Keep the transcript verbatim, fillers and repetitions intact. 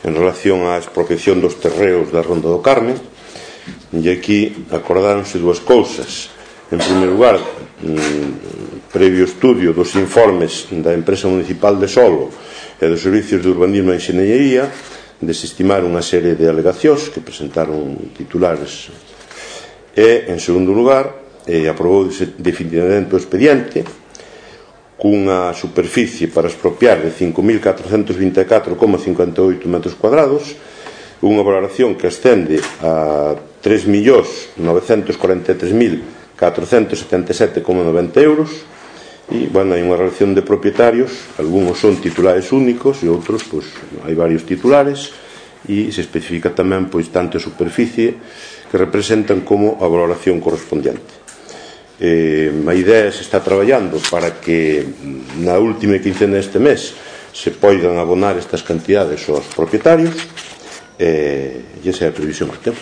en relación á expropiación dos terreos da Ronda do Carme, e aquí acordáronse dúas cousas. En primeiro lugar, previo estudio dos informes da empresa municipal de solo e dos servicios de urbanismo e enxeñería, desestimar unha serie de alegacións que presentaron titulares, e, en segundo lugar, aprobou definitivamente o expediente cunha superficie para expropiar de cinco mil catrocentos vinte e catro coma cincuenta e oito metros cuadrados, unha valoración que ascende a tres millóns novecentos cuarenta e tres mil catrocentos setenta e sete coma noventa euros, e, bueno, hai unha relación de propietarios, algúns son titulares únicos e outros, pois, hai varios titulares, e se especifica tamén, pois, tanto a superficie que representan como a valoración correspondiente. Eh, a idea se está traballando para que na última quincena deste mes se poidan abonar estas cantidades aos propietarios, e esa é a previsión que temos.